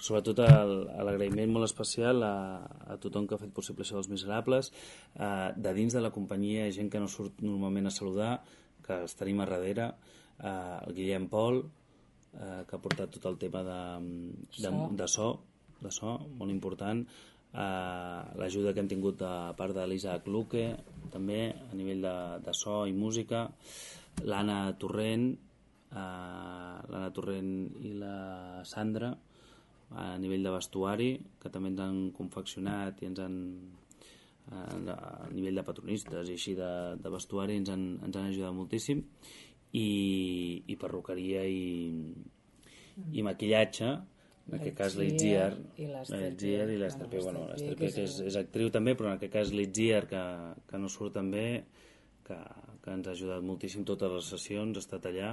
sobretot l'agraïment molt especial a tothom que ha fet possible això dels Miserables, de dins de la companyia, gent que no surt normalment a saludar, que els tenim a darrere, el Guillem Pol, que ha portat tot el tema de so, molt important, l'ajuda que hem tingut de part de l'Isaac Luque, també a nivell de so i música, l'Anna Torrent i la Sandra a nivell de vestuari, que també ens han confeccionat i ens han a nivell de patronistes i així de vestuari ens han ajudat moltíssim, i perruqueria i maquillatge, en aquest cas l'Itziar i l'Ester P. Bueno, l'Ester P, que és actriu també, però en aquest cas l'Itziar, que no surt també, que ens ha ajudat moltíssim totes les sessions, ha estat allà,